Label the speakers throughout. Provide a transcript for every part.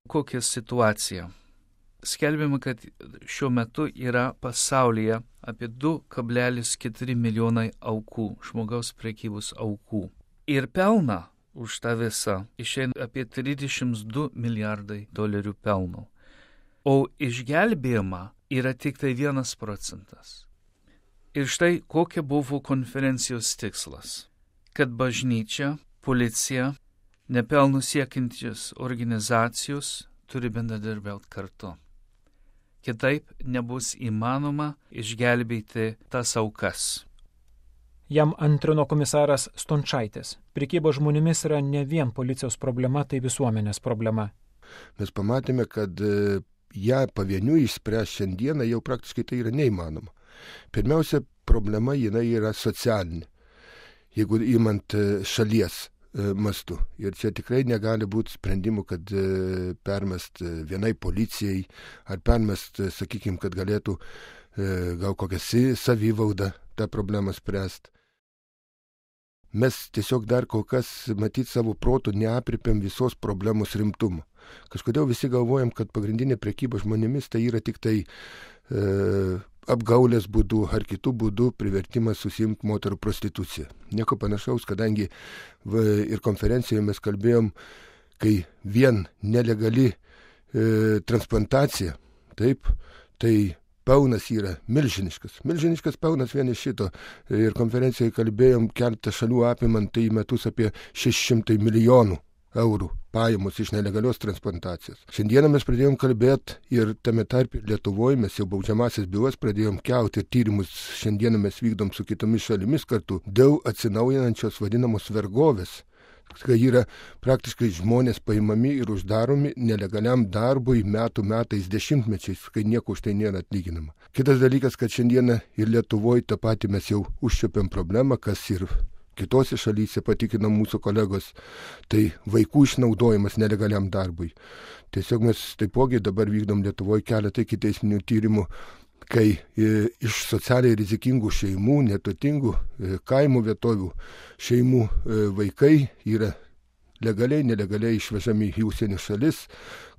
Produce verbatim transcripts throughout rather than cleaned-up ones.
Speaker 1: Kokia situacija? Skelbiama, kad šiuo metu yra pasaulyje apie du kablelis keturi milijonai aukų, žmogaus prekybos aukų. Ir pelną už tą visą išeina apie trisdešimt du milijardai dolerių pelno. O išgelbėjama yra tik tai vienas procentas. Ir štai kokia buvo konferencijos tikslas. Kad bažnyčia, policija, nepelnų siekiančios organizacijos turi bendradarbiauti kartu. Kitaip nebus įmanoma išgelbėti tas aukas.
Speaker 2: Jam antrino komisaras Stončaitis. Prekyba žmonėmis yra ne vien policijos problema, tai visuomenės problema.
Speaker 3: Mes pamatėme, kad ją pavieniui išspręsti šiandieną jau praktiškai tai yra neįmanoma. Pirmiausia, problema jinai yra socialinė, jeigu imant šalies mastu. Ir čia tikrai negali būti sprendimų, kad permest vienai policijai ar permest, sakykime, kad galėtų gal kokią savivaudą tą problemą spręsti. Mes tiesiog dar kol kas, matyt, savo protų neapripėm visos problemos rimtumo. Kažkodėl visi galvojam, kad pagrindinė prekyba žmonėmis tai yra tik tai e, apgaulės būdu ar kitų būdų privertimas susiimti moterų prostituciją. Nieko panašaus, kadangi v, ir konferencijoje mes kalbėjom, kai vien nelegali e, transplantacija, taip, tai pelnas yra milžiniškas. Milžiniškas pelnas vien iš šito. Ir konferencijoje kalbėjom keletą šalių apimant tai metus apie šeši šimtai milijonų eurų pajamos iš nelegalios transplantacijos. Šiandieną mes pradėjom kalbėti ir tame tarp Lietuvoje mes jau baudžiamasias bylas pradėjom kelti ir tyrimus šiandieną mes vykdom su kitomis šalimis kartu dėl atsinaujinančios vadinamos vergovės. Kai yra praktiškai žmonės paimami ir uždaromi nelegaliam darbui metų metais dešimtmečiais, kai nieko už tai nėra atlyginama. Kitas dalykas, kad šiandieną ir Lietuvoje tą patį mes jau užčiuopėm problemą, kas ir kitose šalyse patikina mūsų kolegos, tai vaikų išnaudojimas nelegaliam darbui. Tiesiog mes taipogi dabar vykdom Lietuvoje keletą ikiteisminių tyrimų, kai iš socialiai rizikingų šeimų, neturtingų kaimų vietovių šeimų vaikai yra legaliai, nelegaliai išvežami į užsienio šalis,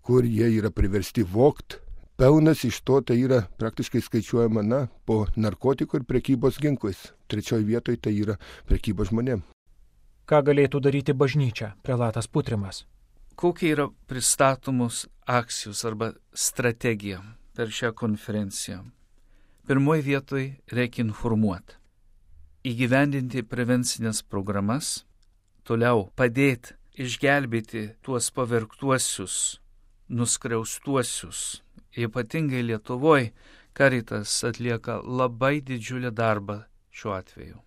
Speaker 3: kur jie yra priversti vogt. Pelnas iš to tai yra praktiškai skaičiuojama na, po narkotikų ir prekybos ginklais. Trečioje vietoje tai yra prekyba žmonėm.
Speaker 2: Ką galėtų daryti bažnyčia, prelatas Putrimas?
Speaker 1: Kokie yra pristatomos akcijos arba strategija per šią konferenciją? Pirmoje vietoje reikia informuoti, įgyvendinti prevencinės programas, toliau padėti išgelbėti tuos pavergtuosius, nuskriaustuosius. Ypatingai Lietuvoje Caritas atlieka labai didžiulį darbą šiuo atveju.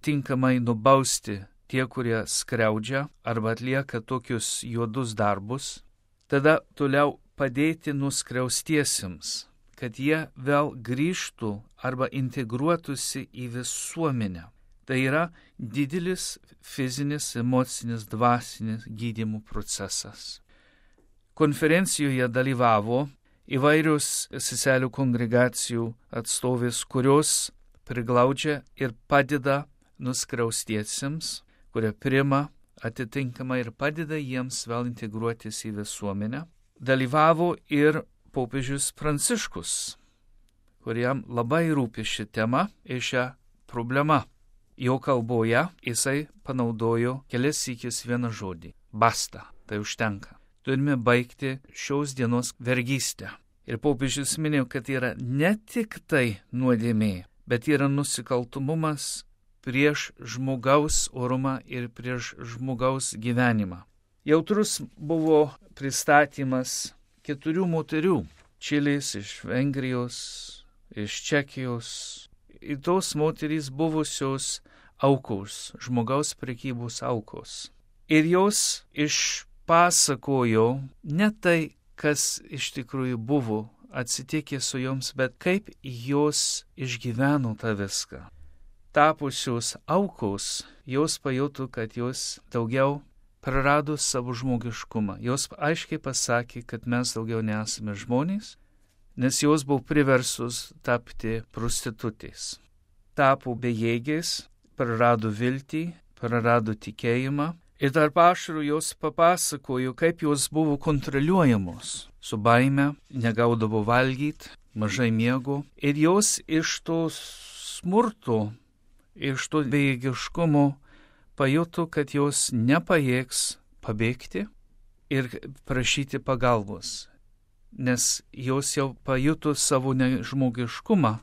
Speaker 1: Tinkamai nubausti tie, kurie skriaudžia arba atlieka tokius juodus darbus, tada toliau padėti nuskriaustiesiems, kad jie vėl grįžtų arba integruotųsi į visuomenę. Tai yra didelis fizinis, emocinis, dvasinis gydymo procesas. Konferencijoje dalyvavo įvairios seselių kongregacijų atstovės, kurios priglaudžia ir padeda nuskriaustiesiems, kurie priima atitinkamai ir padeda jiems vėl integruotis į visuomenę. Dalyvavo ir popiežius Pranciškus, kuriam labai rūpi ši tema ir šią problemą. Jo kalboje jisai panaudojo kelias sykis vieną žodį – basta, tai užtenka. Turime baigti šios dienos vergystę. Ir popiežius minėjo, kad yra ne tik tai nuodėmė, bet yra nusikaltumumas prieš žmogaus orumą ir prieš žmogaus gyvenimą. Jautrus buvo pristatymas keturių moterių – Čilės, iš Vengrijos, iš Čekijos. Ir tos moterys buvusios aukos, žmogaus prekybos aukos. Ir jos išpasakojo ne tai, kas iš tikrųjų buvo atsitikė su joms, bet kaip jos išgyveno tą viską. Tapusios aukos, jos pajuto, kad jos daugiau prarado savo žmogiškumą. Jos aiškiai pasakė, kad mes daugiau nesame žmonės, nes jos buvo priversus tapti prostitutės. Tapo bejėgės, prarado viltį, prarado tikėjimą, Ir tarp ašarų jos papasakojo, kaip jos buvo kontroliuojamos. Su baime, negaudavo valgyti, mažai miego. Ir jos iš to smurto, iš to bejėgiškumo pajuto, kad jos nepajėgs pabėgti ir prašyti pagalbos. Nes jos jau pajuto savo nežmogiškumą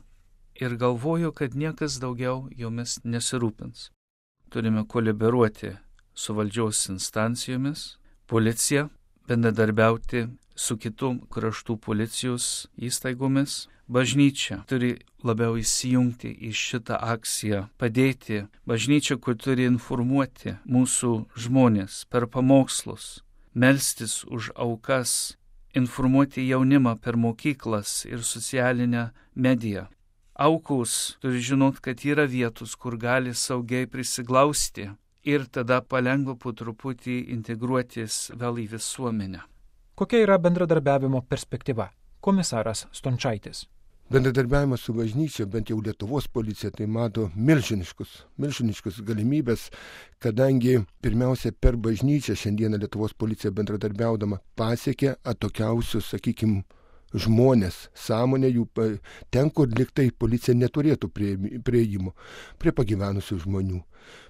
Speaker 1: ir galvojo, kad niekas daugiau jomis nesirūpins. Turime kolaboruoti su valdžios instancijomis, policija, bendradarbiauti su kitų kraštų policijos įstaigomis. Bažnyčia turi labiau įsijungti į šitą akciją, padėti. Bažnyčia, kur turi informuoti mūsų žmonės per pamokslus, melstis už aukas, informuoti jaunimą per mokyklas ir socialinę mediją. Aukos turi žinot, kad yra vietos, kur gali saugiai prisiglausti ir tada palengva po truputį integruotis vėl į visuomenę.
Speaker 2: Kokia yra bendradarbiavimo perspektyva? Komisaras Stončaitis.
Speaker 3: Bendradarbiavimas su bažnyčia, bent jau Lietuvos policija, tai mato milžiniškus, milžiniškus galimybės, kadangi pirmiausia per bažnyčią šiandieną Lietuvos policija bendradarbiaudama pasiekė atokiausius, sakykime, žmonės, sąmonė jų, ten, kur liktai policija neturėtų prieimo, prie pagyvenusių žmonių,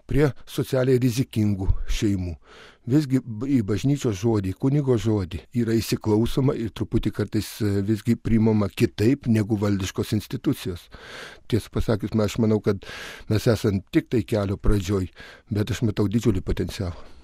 Speaker 3: prie socialiai rizikingų šeimų. Visgi į bažnyčios žodį, kunigo žodį yra įsiklausoma ir truputį kartais visgi priimama kitaip negu valdiškos institucijos. Tiesą pasakius, aš manau, kad mes esam tik tai kelio pradžioj, bet aš matau didžiulį potencialą.